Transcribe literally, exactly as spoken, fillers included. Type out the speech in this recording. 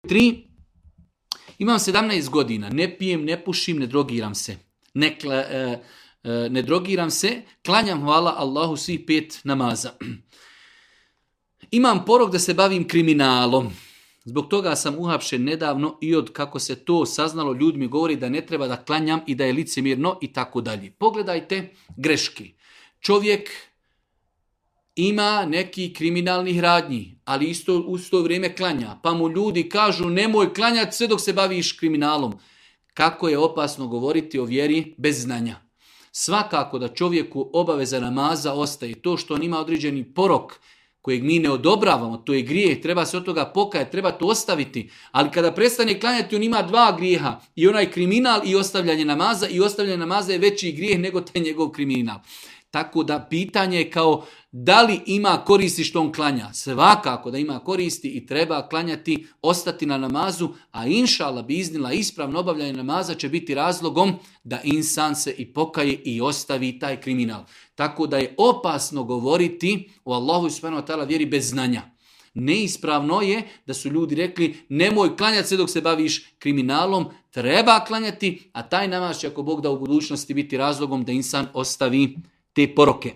tri. Imam sedamnaest godina, ne pijem, ne pušim, ne drogiram se. Ne, kla, e, e, ne drogiram se, klanjam hvala Allahu svih pet namaza. Imam porok da se bavim kriminalom. Zbog toga sam uhapšen nedavno i od kako se to saznalo ljudi mi govori da ne treba da klanjam i da je licemjerno i tako dalje. Pogledajte greške. Čovjek ima neki kriminalnih radnji, ali isto u to vrijeme klanja. Pa mu ljudi kažu nemoj klanjati sve dok se baviš kriminalom. Kako je opasno govoriti o vjeri bez znanja. Svakako da čovjeku obaveza namaza ostaje. To što on ima određeni porok kojeg mi ne odobravamo, to je grijeh, treba se od toga pokajati, treba to ostaviti. Ali kada prestane klanjati, on ima dva grijeha. I onaj kriminal i ostavljanje namaza. I ostavljanje namaza je veći grijeh nego taj njegov kriminal. Tako da pitanje je kao da li ima koristi što on klanja. Svakako da ima koristi i treba klanjati, ostati na namazu, a inša Allah bi iznila ispravno obavljanje namaza će biti razlogom da insan se i pokaje i ostavi taj kriminal. Tako da je opasno govoriti o Allahu subhanahu wa ta'ala vjeri bez znanja. Neispravno je da su ljudi rekli nemoj klanjati sve dok se baviš kriminalom, treba klanjati, a taj namaz će ako Bog da u budućnosti biti razlogom da insan ostavi te poroke.